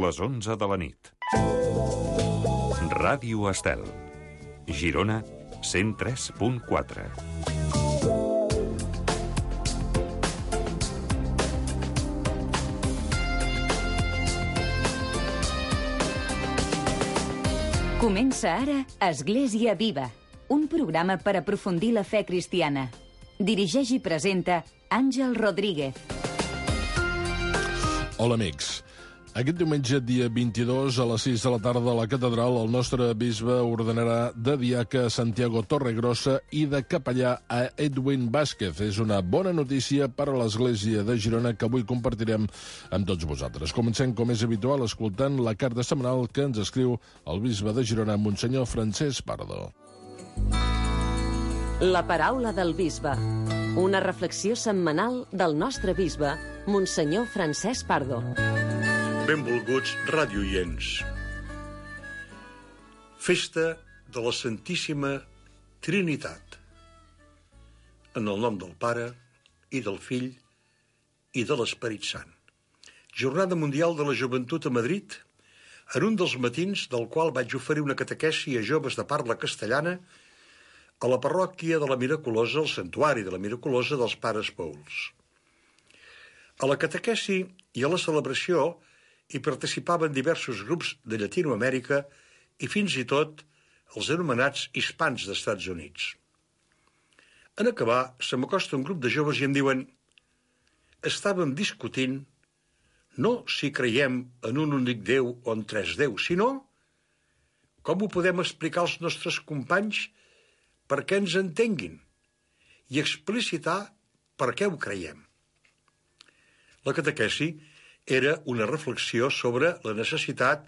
les 11 de la nit. Ràdio Estel. Girona, 103.4. Comença ara Església Viva, un programa per aprofundir la fe cristiana. Dirigeix i presenta Àngel Rodríguez. Hola, amics. Aquest diumenge, dia 22, a les 6 de la tarda, a la catedral, el nostre bisbe ordenarà de diaca a Santiago Torregrossa i de capellà a Edwin Vázquez. És una bona notícia per a l'Església de Girona que avui compartirem amb tots vosaltres. Comencem, com és habitual, escoltant la carta setmanal que ens escriu el bisbe de Girona, Monsenyor Francesc Pardo. La paraula del bisbe. Una reflexió setmanal del nostre bisbe, Monsenyor Francesc Pardo. Benvolguts radioients. Festa de la Santíssima Trinitat. En el nom del Pare, i del Fill, i de l'Esperit Sant. Jornada Mundial de la Joventut a Madrid, en un dels matins del qual vaig oferir una catequesi a joves de parla castellana a la parròquia de la Miraculosa, al santuari de la Miraculosa dels Pares Pouls. A la catequesi i a la celebració hi participaven diversos grups de Llatinoamèrica i fins i tot els anomenats hispans d'Estats Units. En acabar, se m'acosta un grup de joves i em diuen: estàvem discutint no si creiem en un únic Déu o en tres déus, sinó com ho podem explicar als nostres companys perquè ens entenguin i explicitar per què ho creiem. La catequesi era una reflexió sobre la necessitat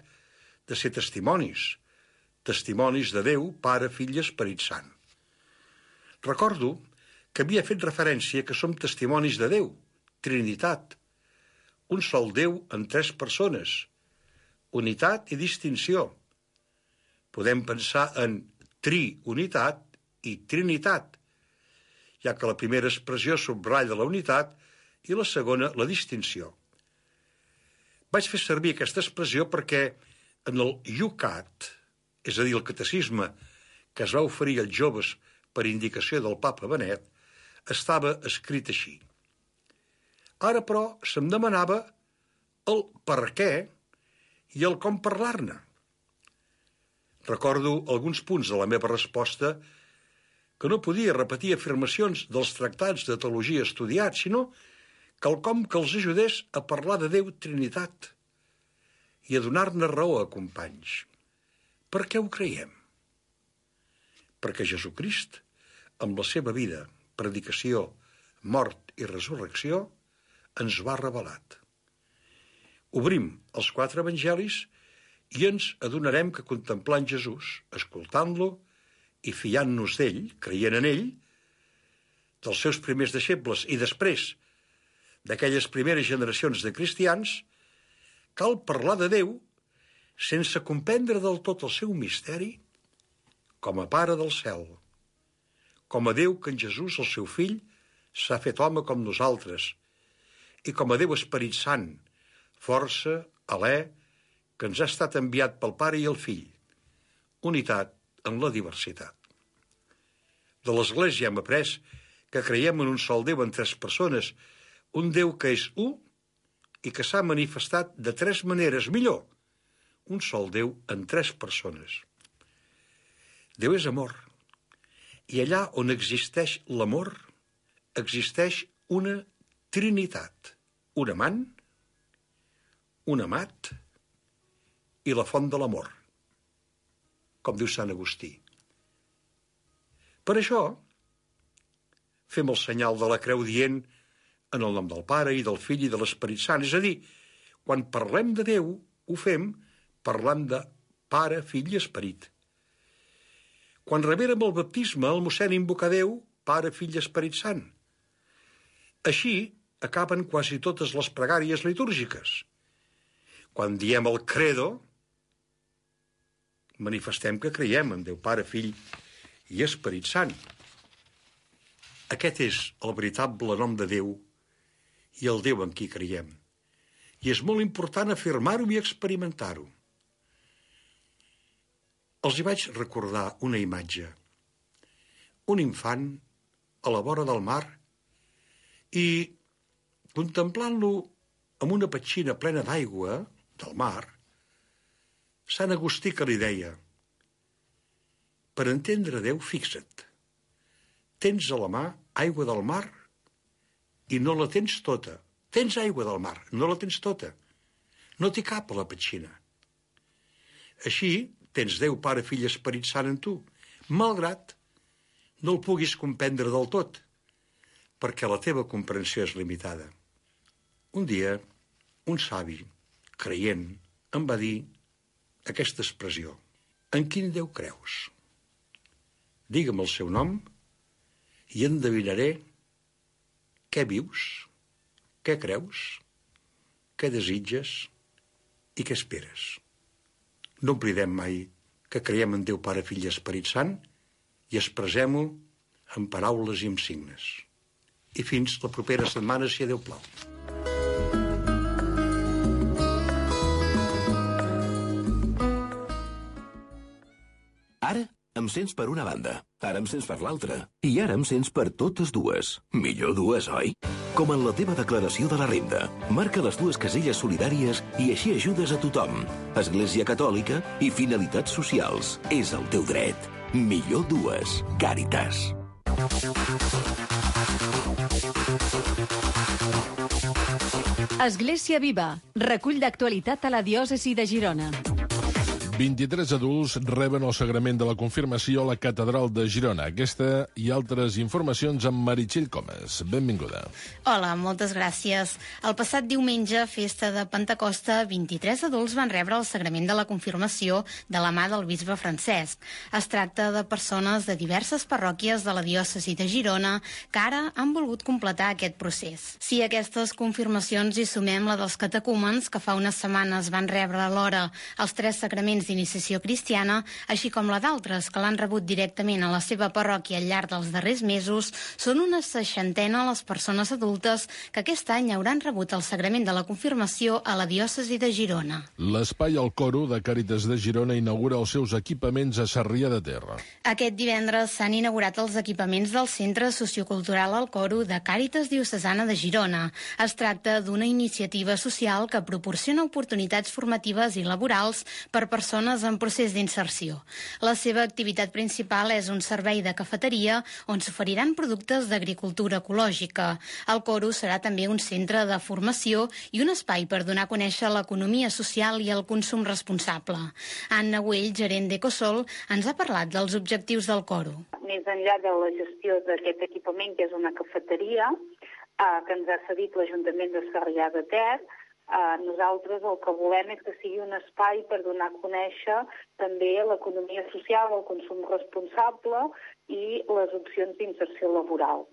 de ser testimonis de Déu, Pare, Fill i Esperit Sant. Recordo que havia fet referència que som testimonis de Déu, Trinitat, un sol Déu en tres persones, unitat i distinció. Podem pensar en triunitat i trinitat, ja que la primera expressió subratlla la unitat i la segona la distinció. Vaig fer servir aquesta expressió perquè en el Yucat, és a dir, el catecisme que es va oferir als joves per indicació del papa Benet, estava escrit així. Ara, però, se'm demanava el per què i el com parlar-ne. Recordo alguns punts de la meva resposta que no podia repetir afirmacions dels tractats de teologia estudiats, sinó quelcom que els ajudés a parlar de Déu Trinitat i a donar-ne raó a companys. Per què ho creiem? Perquè Jesucrist, amb la seva vida, predicació, mort i resurrecció, ens ho ha revelat. Obrim els 4 evangelis i ens adonarem que contemplant Jesús, escoltant-lo i fiant-nos d'ell, creient en ell, dels seus primers deixebles i després d'aquelles primeres generacions de cristians, cal parlar de Déu sense comprendre del tot el seu misteri com a Pare del cel, com a Déu que en Jesús, el seu fill, s'ha fet home com nosaltres, i com a Déu Esperit Sant, força, alè, que ens ha estat enviat pel Pare i el Fill, unitat en la diversitat. De l'Església hem après que creiem en un sol Déu en tres persones, un Déu que és u i que s'ha manifestat de tres maneres, millor, un sol Déu en tres persones. Déu és amor, i allà on existeix l'amor, existeix una trinitat, un amant, un amat i la font de l'amor, com diu Sant Agustí. Per això, fem el senyal de la creu dient en el nom del Pare i del Fill i de l'Esperit Sant. És a dir, quan parlem de Déu, ho fem parlant de Pare, Fill i Esperit. Quan rebérem el baptisme, el mossèn invoca Déu, Pare, Fill i Esperit Sant. Així acaben quasi totes les pregàries litúrgiques. Quan diem el credo, manifestem que creiem en Déu Pare, Fill i Esperit Sant. Aquest és el veritable nom de Déu i el Déu en qui creiem. I és molt important afirmar-ho i experimentar-ho. Els hi vaig recordar una imatge. Un infant a la vora del mar i, contemplant-lo amb una petxina plena d'aigua del mar, Sant Agustí que li deia: per entendre Déu, fixa't, tens a la mà aigua del mar i no la tens tota. Tens aigua del mar, no la tens tota. No t'hi cap a la petxina. Així, tens Déu, Pare, Fill i Esperit Sant en tu, malgrat no el puguis comprendre del tot, perquè la teva comprensió és limitada. Un dia, un savi, creient, em va dir aquesta expressió: en quin Déu creus? Digue'm el seu nom i endevinaré què vius, què creus, què desitges i què esperes. No oblidem mai que creiem en Déu Pare, Fill i Esperit Sant i expressem-ho amb paraules i amb signes. I fins la propera setmana, si Déu plau. Ara em sents per una banda, ara em sents per l'altra, i ara em sents per totes dues. Millor dues, oi? Com en la teva declaració de la renda. Marca les dues caselles solidàries i així ajudes a tothom. Església Catòlica i finalitats socials. És el teu dret. Millor dues. Càritas. Església Viva. Recull d'actualitat a la diòcesi de Girona. 23 adults reben el sagrament de la confirmació a la Catedral de Girona. Aquesta i altres informacions amb Meritxell Comas. Benvinguda. Hola, moltes gràcies. El passat diumenge, festa de Pentecosta, 23 adults van rebre el sagrament de la confirmació de la mà del bisbe Francesc. Es tracta de persones de diverses parròquies de la diòcesi de Girona que ara han volgut completar aquest procés. Si a aquestes confirmacions hi sumem la dels catecúmens, que fa unes setmanes van rebre alhora els 3 sagraments d'iniciació cristiana, així com la d'altres que l'han rebut directament a la seva parròquia al llarg dels darrers mesos, són una 60 les persones adultes que aquest any hauran rebut el sagrament de la confirmació a la diòcesi de Girona. L'espai El Coro de Càritas de Girona inaugura els seus equipaments a Sarrià de Ter. Aquest divendres s'han inaugurat els equipaments del Centre Sociocultural El Coro de Càritas Diocesana de Girona. Es tracta d'una iniciativa social que proporciona oportunitats formatives i laborals per persones en procés d'inserció. La seva activitat principal és un servei de cafeteria on s'oferiran productes d'agricultura ecològica. El Coro serà també un centre de formació i un espai per donar a conèixer l'economia social i el consum responsable. Anna Güell, gerent d'Ecosol, ens ha parlat dels objectius del Coro. Més enllà de la gestió d'aquest equipament, que és una cafeteria que ens ha cedit l'Ajuntament de Sarrià de Ter, nosaltres el que volem és que sigui un espai per donar a conèixer també l'economia social, el consum responsable i les opcions d'inserció laboral.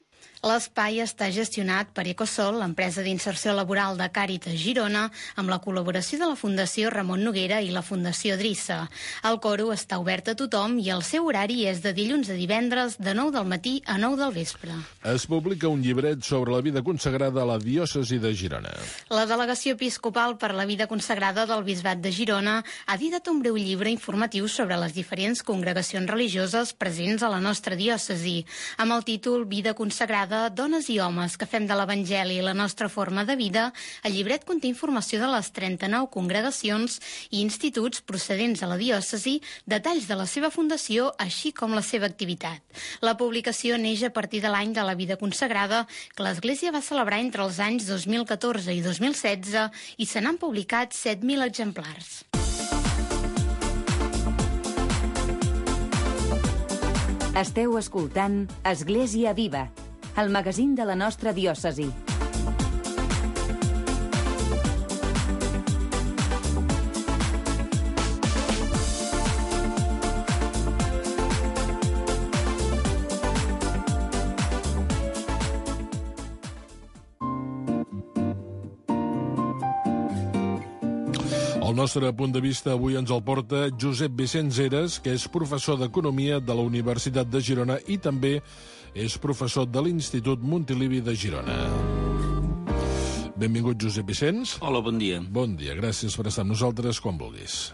L'espai està gestionat per Ecosol, l'empresa d'inserció laboral de Càritas Girona, amb la col·laboració de la Fundació Ramon Noguera i la Fundació Drissa. El Coro està obert a tothom i el seu horari és de dilluns a divendres de 9 del matí a 9 del vespre. Es publica un llibret sobre la vida consagrada a la diòcesi de Girona. La Delegació Episcopal per la Vida Consagrada del Bisbat de Girona ha editat un breu llibre informatiu sobre les diferents congregacions religioses presents a la nostra diòcesi, amb el títol Vida Consagrada, dones i homes que fem de l'Evangeli la nostra forma de vida. El llibret conté informació de les 39 congregacions i instituts procedents a la diòcesi, detalls de la seva fundació, així com la seva activitat. La publicació neix a partir de l'any de la vida consagrada que l'Església va celebrar entre els anys 2014 i 2016 i se n'han publicat 7.000 exemplars. Esteu escoltant Església Viva, el magazín de la nostra diòcesi. El nostre punt de vista avui ens el porta Josep Vicenç Heras, que és professor d'Economia de la Universitat de Girona i també és professor de l'Institut Montilivi de Girona. Benvingut, Josep Vicenç. Hola, bon dia. Bon dia, gràcies per estar amb nosaltres quan vulguis.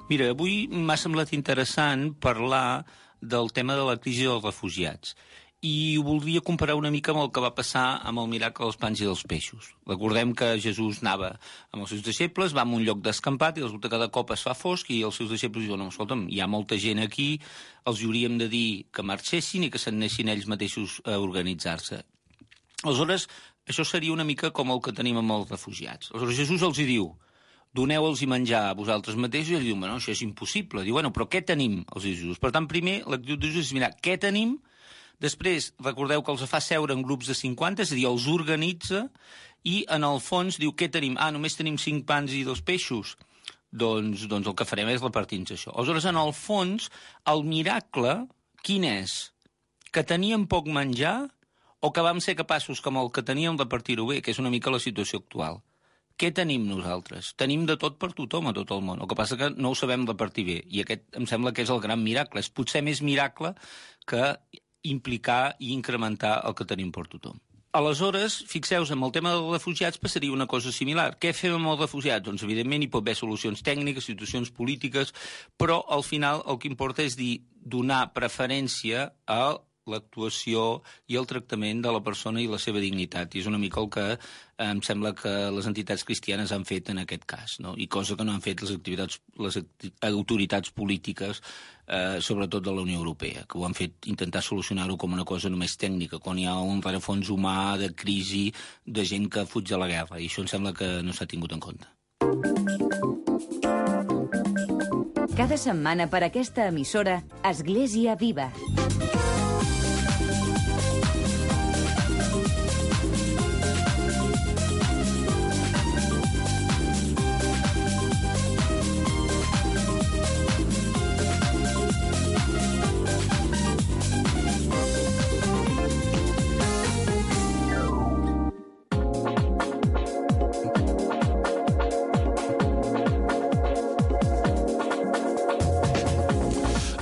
Mira, avui m'ha semblat interessant parlar del tema de la crisi dels refugiats. I ho voldria comparar una mica amb el que va passar amb el miracle dels pans i dels peixos. Recordem que Jesús anava amb els seus deixebles, va a un lloc descampat i resulta que de cop es fa fosc i els seus deixebles diuen: escolta'm, hi ha molta gent aquí, els hauríem de dir que marxessin i que s'anessin ells mateixos a organitzar-se. Aleshores, això seria una mica com el que tenim amb els refugiats. Aleshores, Jesús els hi diu: doneu-los menjar a vosaltres mateixos, i ells diuen: bueno, això és impossible. Diu: bueno, però què tenim? Els diu Jesús. Per tant, primer, l'actitud de Jesús és mirar què tenim. Després, recordeu que els fa seure en grups de 50, és a dir, els organitza, i en el fons diu: què tenim? Ah, només tenim 5 pans i 2 peixos. Doncs el que farem és repartir-nos això. Aleshores, en el fons, el miracle, quin és? Que teníem poc menjar o que vam ser capaços, com el que teníem, de repartir-ho bé, que és una mica la situació actual. Què tenim nosaltres? Tenim de tot per tothom a tot el món. El que passa que no ho sabem repartir bé. I aquest em sembla que és el gran miracle. És potser més miracle que implicar i incrementar el que tenim per tothom. Aleshores, fixeu-vos, amb el tema dels refugiats passaria una cosa similar. Què fem amb els refugiats? Doncs, evidentment, hi pot haver solucions tècniques, situacions polítiques, però al final el que importa és donar preferència a l'actuació i el tractament de la persona i la seva dignitat. I és una mica el que em sembla que les entitats cristianes han fet en aquest cas, no? I cosa que no han fet les autoritats polítiques, sobretot de la Unió Europea, que ho han fet intentar solucionar-ho com una cosa només tècnica, quan hi ha un rerefons humà de crisi, de gent que fuig de la guerra, i això em sembla que no s'ha tingut en compte. Cada setmana per aquesta emissora, Església Viva.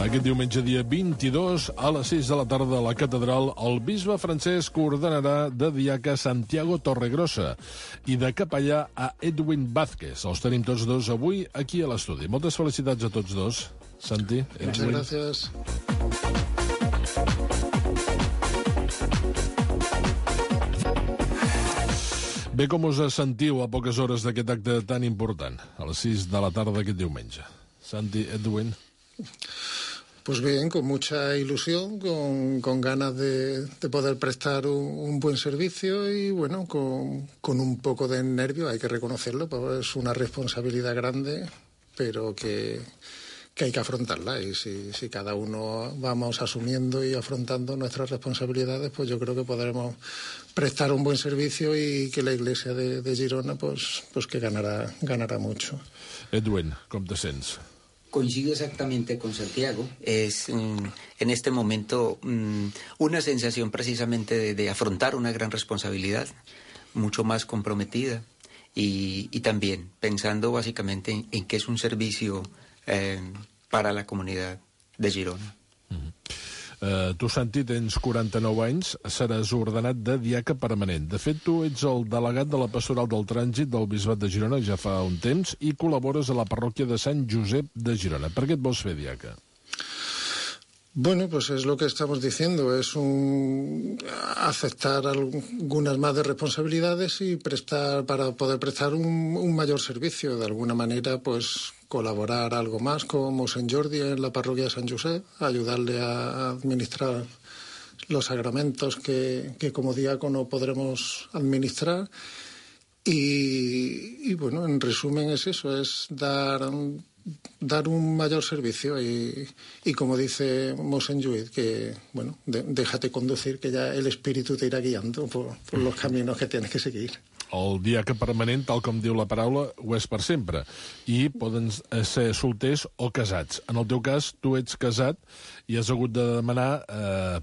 Aquest diumenge, dia 22, a les 6 de la tarda a la catedral, el bisbe Francesc ordenarà de diaca Santiago Torregrossa i de capellà a Edwin Vázquez. Els tenim tots dos avui aquí a l'estudi. Moltes felicitats a tots dos. Santi, Edwin. Muchas gracias. Bé, com us sentiu a poques hores d'aquest acte tan important, a les 6 de la tarda d'aquest diumenge? Santi, Edwin. Pues bien, con mucha ilusión, con ganas de poder prestar un buen servicio y, bueno, con un poco de nervio, hay que reconocerlo, pues es una responsabilidad grande, pero que hay que afrontarla. Y si cada uno vamos asumiendo y afrontando nuestras responsabilidades, pues yo creo que podremos prestar un buen servicio y que la Iglesia de Girona, pues que ganará mucho. Edwin, com te sents? Coincido exactamente con Santiago. Es en este momento una sensación precisamente de afrontar una gran responsabilidad, mucho más comprometida y también pensando básicamente en que es un servicio para la comunidad de Girona. Tu, Santi, tens 49 anys, seràs ordenat de diaca permanent. De fet, tu ets el delegat de la Pastoral del Trànsit del Bisbat de Girona ja fa un temps i col·labores a la parròquia de Sant Josep de Girona. Per què et vols fer diaca? Bueno, pues es lo que estamos diciendo, es aceptar algunas más de responsabilidades y para poder prestar un mayor servicio. De alguna manera, pues colaborar algo más como San Jordi en la parroquia de San Josep, ayudarle a administrar los sacramentos que como diácono podremos administrar. Y bueno, en resumen es eso, es dar un mayor servicio y como dice Monsenjuit, que bueno, déjate conducir, que ya el espíritu te irá guiando por los caminos que tienes que seguir. El diaca permanent, tal com diu la paraula, ho és per sempre. I poden ser solters o casats. En el teu cas, tu ets casat i has hagut de demanar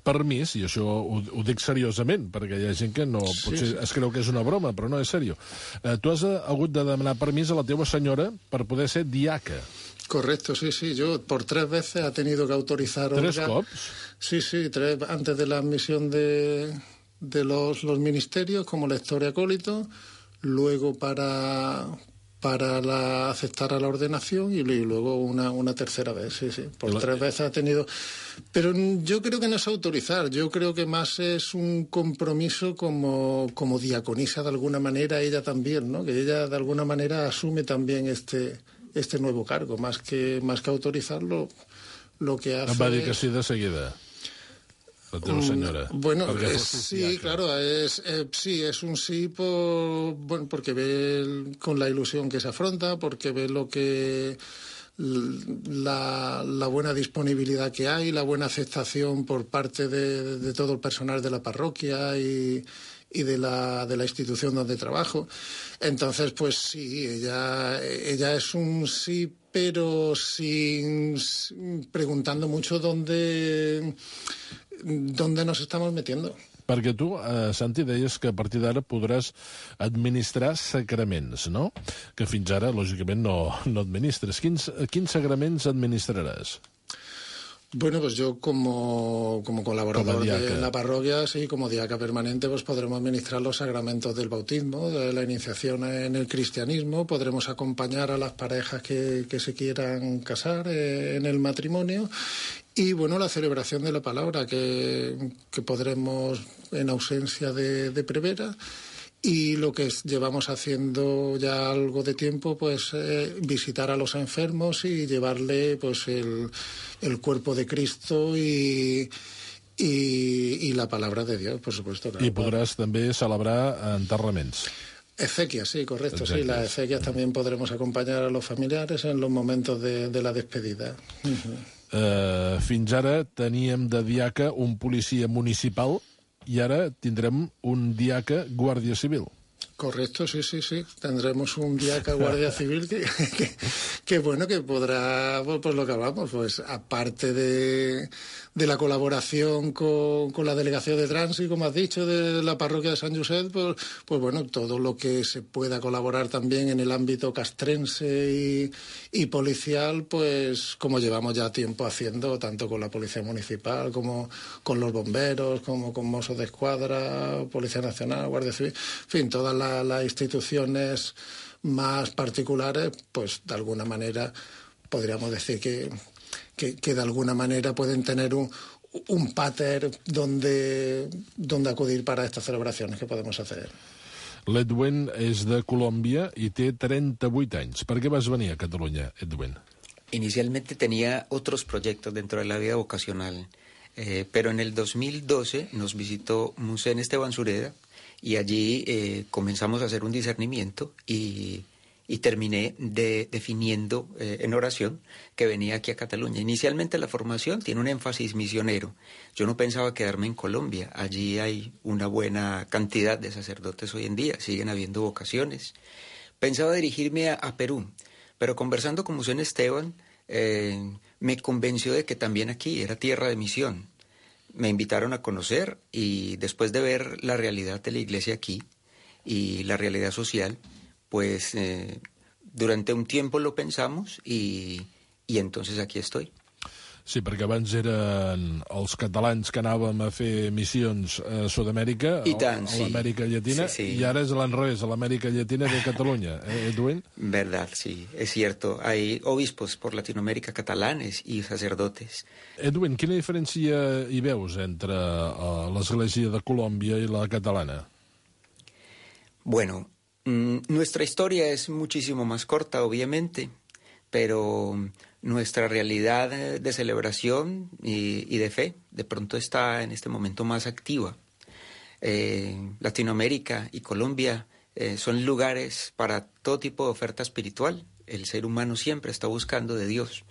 permís, i això ho dic seriosament, perquè hi ha gent que no, potser es creu que és una broma, però no, és seriós. Tu has hagut de demanar permís a la teva senyora per poder ser diaca. Correcto, sí. Yo por 3 veces ha tenido que autorizar... ¿3 cops? Sí, 3, antes de la admisión de los ministerios como lector y acólito, luego para aceptar a la ordenación y luego una tercera vez, sí. Por 3 veces ha tenido... Pero yo creo que no es autorizar, yo creo que más es un compromiso como diaconisa de alguna manera, ella también, ¿no? Que ella de alguna manera asume también este nuevo cargo, más que autorizarlo, lo que hace... Em va dir que sí de seguida. La teva senyora. Bueno, sí, claro, es un sí porque ve con la ilusión que se afronta, porque ve lo que la buena disponibilidad que hay, la buena aceptación por parte de todo el personal de la parroquia y de la institución donde trabajo. Entonces, pues sí, ella es un sí, pero sin preguntando mucho dónde nos estamos metiendo. Perquè tu, Santi, deies que a partir d'ara podràs administrar sacraments, no? Que fins ara, lògicament, no administres. Quins sacraments administraràs? Bueno, pues yo como colaborador de la parroquia, sí, como diaca permanente, pues podremos administrar los sacramentos del bautismo, de la iniciación en el cristianismo, podremos acompañar a las parejas que se quieran casar en el matrimonio y, bueno, la celebración de la palabra que podremos en ausencia de prevera. Y lo que llevamos haciendo ya algo de tiempo, pues visitar a los enfermos y llevarle pues el cuerpo de Cristo y la palabra de Dios, por supuesto. Claro. I podràs també celebrar enterraments. Exequias, sí, correcto. Sí, las exequias también podremos acompañar a los familiares en los momentos de la despedida. Fins ara teníem de diaca un policia municipal i ara tindrem un diaca guàrdia civil. Correcto, sí. Tendremos un diaca guardia civil que bueno, que podrá, pues lo que hablamos, pues aparte de la colaboración con la delegación de tránsito, como has dicho, de la parroquia de San Josep, pues bueno, todo lo que se pueda colaborar también en el ámbito castrense y policial, pues como llevamos ya tiempo haciendo, tanto con la policía municipal como con los bomberos, como con Mossos de Escuadra, Policía Nacional, Guardia Civil, en fin, todas las instituciones más particulares, pues de alguna manera podríamos decir que de alguna manera pueden tener un pater donde acudir para estas celebraciones que podemos hacer. L'Edwin és de Colòmbia i té 38 anys. Per què vas venir a Catalunya, Edwin? Inicialmente tenía otros proyectos dentro de la vida vocacional, pero en el 2012 nos visitó Monseñor Esteban Sureda y allí comenzamos a hacer un discernimiento y terminé definiendo en oración que venía aquí a Cataluña. Inicialmente la formación tiene un énfasis misionero. Yo no pensaba quedarme en Colombia. Allí hay una buena cantidad de sacerdotes hoy en día, siguen habiendo vocaciones. Pensaba dirigirme a Perú, pero conversando con Monseñor Esteban me convenció de que también aquí era tierra de misión. Me invitaron a conocer y después de ver la realidad de la iglesia aquí y la realidad social, pues durante un tiempo lo pensamos y entonces aquí estoy. Sí, perquè abans eren els catalans que anàvem a fer missions a Sud-amèrica, a l'Amèrica Llatina, y ahora es al revés, a l'Amèrica Llatina de Cataluña. Edwin? Verdad, sí, es cierto. Hay obispos por Latinoamérica catalanes y sacerdotes. Edwin, quina diferència hi veus entre l'Església de Colòmbia i la catalana? Bueno, nuestra historia es muchísimo más corta, obviamente, pero nuestra realidad de celebración y de fe de pronto está en este momento más activa. Latinoamérica y Colombia son lugares para todo tipo de oferta espiritual. El ser humano siempre está buscando de Dios.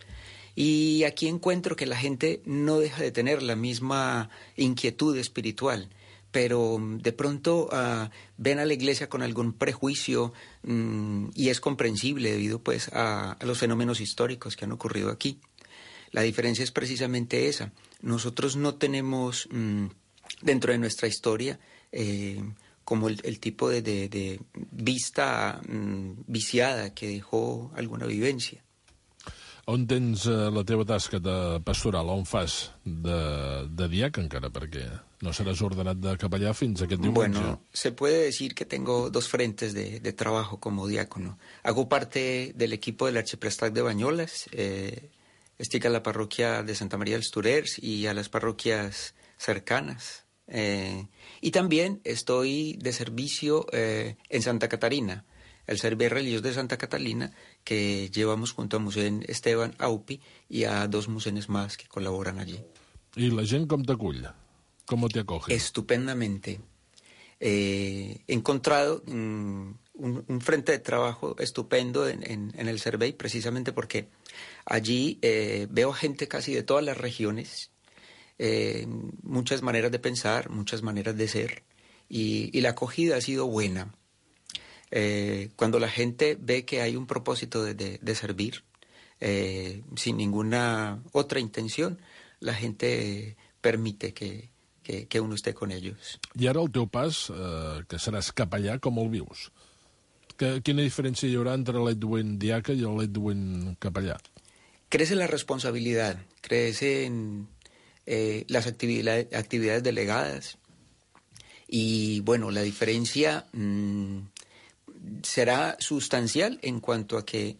Y aquí encuentro que la gente no deja de tener la misma inquietud espiritual, pero de pronto ven a la iglesia con algún prejuicio y es comprensible debido pues a los fenómenos históricos que han ocurrido aquí. La diferencia es precisamente esa. Nosotros no tenemos dentro de nuestra historia como el tipo de vista viciada que dejó alguna vivencia. On tens la teva tasca de pastoral? On fas de diaca encara? Perquè No seràs ordenat de capellà fins aquest diumenge. Bueno, se puede decir que tengo dos frentes de trabajo como diácono. Hago parte del equipo del Arciprestazgo de Bañolas, estoy a la parroquia de Santa María dels Torers y a las parroquias cercanas. Y también estoy de servicio en Santa Catarina, el Servicio Religioso de Santa Catalina, que llevamos junto a Musén Esteban Aupi y a dos musenes más que colaboran allí. ¿Y la gent com t'acull? ¿Cómo te acoge? Estupendamente. He encontrado un frente de trabajo estupendo en el Cervey, precisamente porque allí veo gente casi de todas las regiones, muchas maneras de pensar, muchas maneras de ser, y la acogida ha sido buena. Cuando la gente ve que hay un propósito de servir, sin ninguna otra intención, la gente permite que uno esté con ellos. I ara el teu pas, que seràs capellà, com el vius? Quina diferència hi haurà entre l'Edwin diaca i l'Edwin capellà? Crece la responsabilidad, crecen las actividades delegadas y, bueno, la diferencia será sustancial en cuanto a que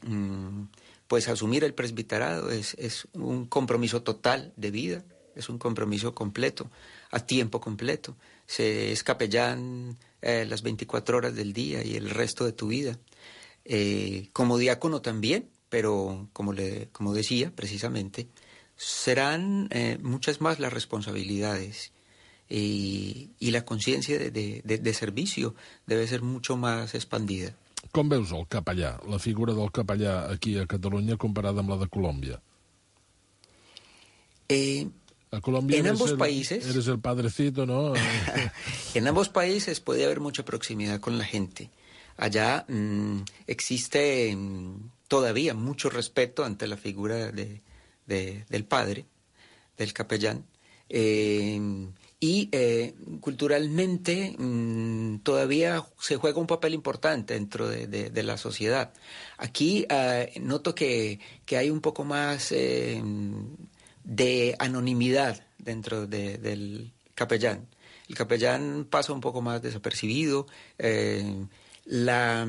pues asumir el presbiterado es un compromiso total de vida, es un compromiso completo, a tiempo completo. Se es capellán las 24 horas del día y el resto de tu vida. Como diácono también, pero como decía precisamente, serán muchas más las responsabilidades y la conciencia de servicio debe ser mucho más expandida. Com veus el capellà, la figura del capellà aquí a Catalunya comparada amb la de Colòmbia? A Colombia en ambos países eres el padrecito, ¿no? En ambos países puede haber mucha proximidad con la gente. Allá existe todavía mucho respeto ante la figura del padre, del capellán, y culturalmente todavía se juega un papel importante dentro de la sociedad. Aquí noto que hay un poco más de anonimidad dentro del capellán. El capellán pasa un poco más desapercibido. La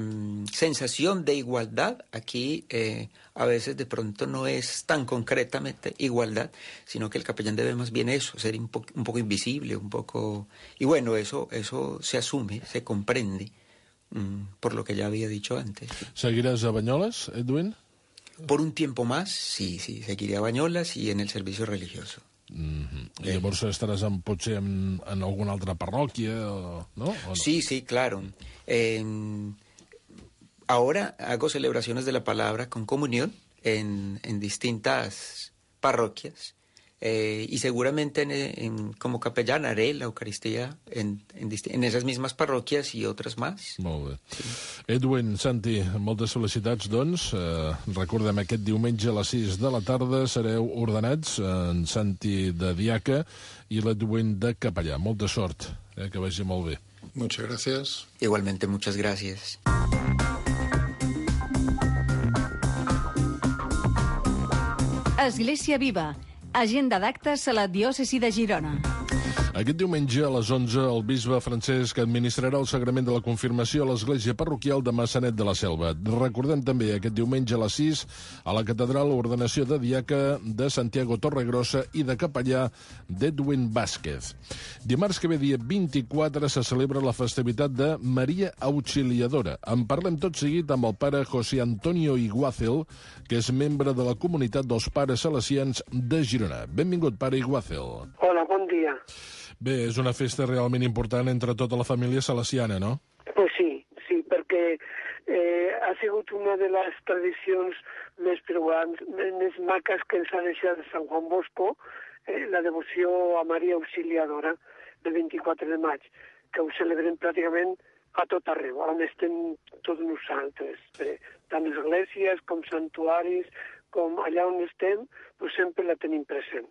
sensación de igualdad aquí a veces de pronto no es tan concretamente igualdad, sino que el capellán debe más bien eso, ser un poco invisible, un poco... Y bueno, eso se asume, se comprende, por lo que ya había dicho antes. ¿Seguirás a Banyoles, Edwin? Por un tiempo más, sí, seguiré a Banyoles y en el servicio religioso. I llavors estaràs potser en alguna altra parròquia, ¿no? ¿O no? Sí, claro. Ahora hago celebraciones de la palabra con comunión en distintas parroquias y seguramente como capellán haré la Eucaristía en esas mismas parroquias y otras más. Molt bé. Sí. Edwin, Santi, moltes felicitats, doncs. Recordem, aquest diumenge a les 6 de la tarda sereu ordenats, en Santi de diaca i l'Edwin de capellà. Molta sort, que vagi molt bé. Muchas gracias. Igualmente, muchas gracias. Església Viva. Agenda d'actes a la diòcesi de Girona. Aquest diumenge a les 11 el bisbe Francesc administrarà el sagrament de la confirmació a l'església parroquial de Massanet de la Selva. Recordem també aquest diumenge a les 6 a la catedral l'ordenació de diaca de Santiago Torregrossa i de capellà d'Edwin Vázquez. Dimarts que ve, dia 24, se celebra la festivitat de Maria Auxiliadora. En parlem tot seguit amb el pare José Antonio Iguácel, que és membre de la comunitat dels pares salesians de Girona. Benvingut, pare Iguácel. Hola, bon dia. Bé, és una festa realment important entre tota la família salesiana, no? Pues sí, perquè ha sigut una de les tradicions més preuants, més maques que ens ha deixat Sant Juan Bosco, la devoció a Maria Auxiliadora del 24 de maig, que ho celebrem pràcticament a tot arreu, on estem tots nosaltres, tant esglésies com santuaris, com allà on estem, pues sempre la tenim present.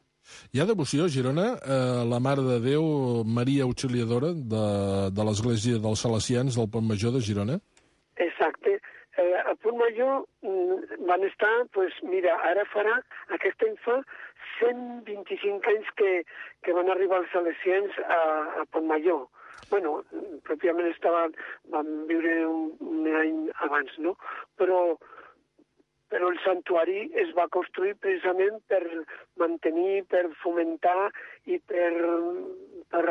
Hi ha devoció a Girona a la Mare de Déu, Maria Auxiliadora, de l'església dels salesians del Pont Major de Girona? Exacte. Al Pont Major van estar, pues mira, ara aquest any fa 125 anys que van arribar els salesians a Pontmajor. Bueno, pròpiament van viure un any abans, no? Però el santuari es va construir precisament per mantenir, per fomentar i per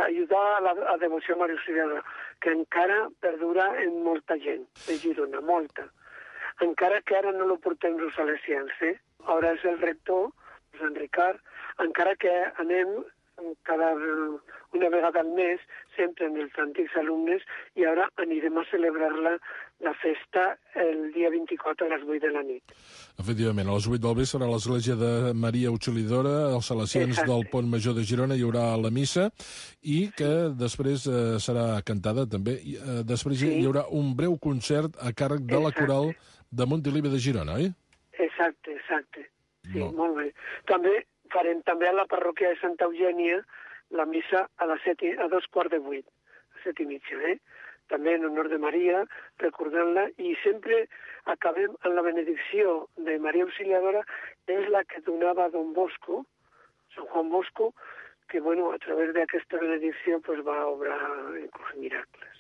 ajudar a la devoció a Maria Auxiliadora, que encara perdura en molta gent de Girona, molta. Encara que ara no lo portem els salesians, Ara és el rector, Sant Ricard, encara que anem una vegada al mes, sempre amb els antics alumnes, i ara anirem a celebrar la festa el dia 24 a les 8 de la nit. Efectivament, a les 8 del vespre a l'església de Maria Auxiliadora, als salesians del Pont Major de Girona, hi haurà la missa, i que després serà cantada també. Després hi haurà un breu concert a càrrec de la coral de Montilivi de Girona, oi? Exacte. Sí, molt bé. Farem també a la parròquia de Santa Eugènia la missa a 7:45, a 7:30, també en honor de Maria, recordant-la, i sempre acabem amb la benedicció de Maria Auxiliadora, que és la que donava Don Bosco, Sant Juan Bosco, que a través d'aquesta benedicció va obrar inclús miracles.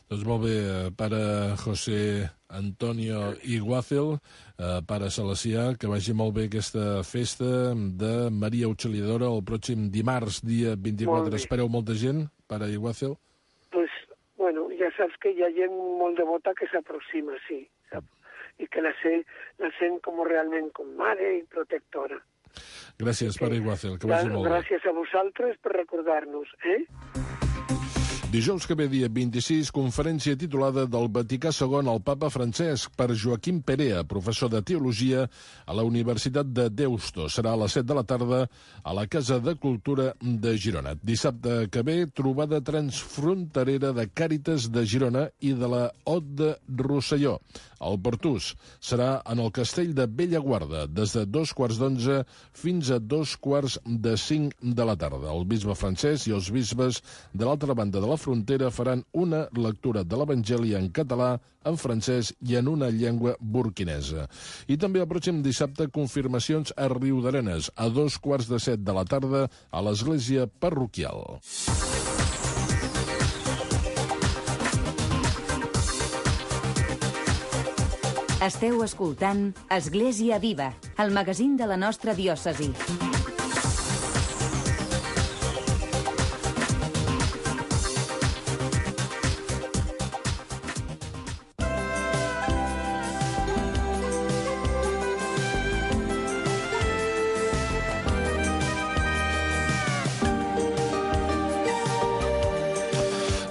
Doncs molt bé, pare José Antonio Iguácel, pare salesià, que vagi molt bé aquesta festa de Maria Auxiliadora el pròxim dimarts, dia 24. Espereu molta gent, pare Iguácel? Pues, ja saps que hi ha gent molt devota que s'aproxima, sí, i que la sent com realment com mare i protectora. Gràcies, pare Iguácel, que vagi molt bé. Gràcies a vosaltres per recordar-nos, Dijous que ve, dia 26, conferència titulada del Vaticà II al Papa Francesc per Joaquim Perea, professor de Teologia a la Universitat de Deusto. Serà a les 7 de la tarda a la Casa de Cultura de Girona. Dissabte que ve, trobada transfronterera de Càritas de Girona i de la Hot de Rosselló. El Pertús serà en el Castell de Bellaguarda, des de 2:15 fins a 2:45 de la tarda. El bisbe francès i els bisbes de l'altra banda de la frontera faran una lectura de l'Evangeli en català, en francès i en una llengua burkinesa. I també el pròxim dissabte confirmacions a Riudarenes, a 2:15 de la tarda, a l'església parroquial. Esteu escoltant Església Viva, el magazín de la nostra diòcesi.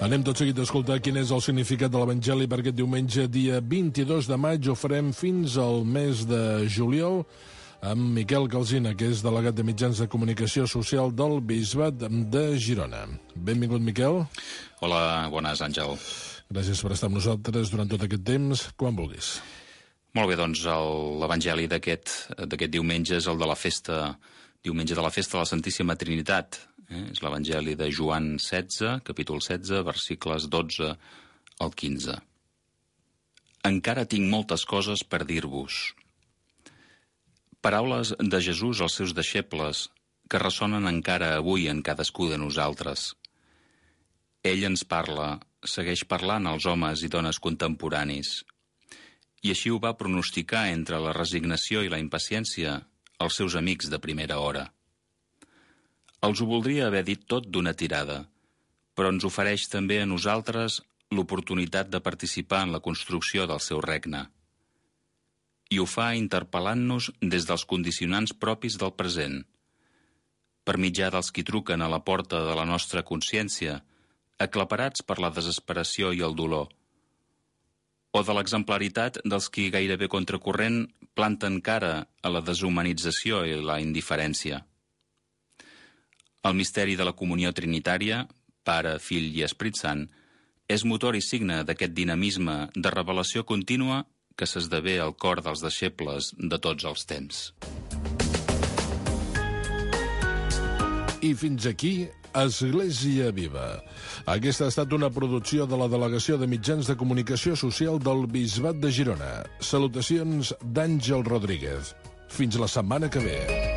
Anem tot seguit a escoltar quin és el significat de l'Evangeli per aquest diumenge, dia 22 de maig. Ho farem fins al mes de juliol amb Miquel Calsina, que és delegat de mitjans de comunicació social del Bisbat de Girona. Benvingut, Miquel. Hola, bones, Àngel. Gràcies per estar amb nosaltres durant tot aquest temps, quan vulguis. Molt bé, doncs l'Evangeli d'aquest diumenge és el de la festa, diumenge de la festa de la Santíssima Trinitat. És l'Evangeli de Joan 16, capítol 16, versicles 12 al 15. Encara tinc moltes coses per dir-vos. Paraules de Jesús als seus deixebles que ressonen encara avui en cadascú de nosaltres. Ell ens parla, segueix parlant als homes i dones contemporanis. I així ho va pronosticar entre la resignació i la impaciència als seus amics de primera hora. Els ho voldria haver dit tot d'una tirada, però ens ofereix també a nosaltres l'oportunitat de participar en la construcció del seu regne. I ho fa interpel·lant-nos des dels condicionants propis del present, per mitjà dels qui truquen a la porta de la nostra consciència, aclaparats per la desesperació i el dolor, o de l'exemplaritat dels qui gairebé contracorrent planten cara a la deshumanització i la indiferència. El misteri de la comunió trinitària, Pare, Fill i Esperit Sant, és motor i signe d'aquest dinamisme de revelació contínua que s'esdevé al cor dels deixebles de tots els temps. I fins aquí, Església Viva. Aquesta ha estat una producció de la Delegació de Mitjans de Comunicació Social del Bisbat de Girona. Salutacions d'Àngel Rodríguez. Fins la setmana que ve.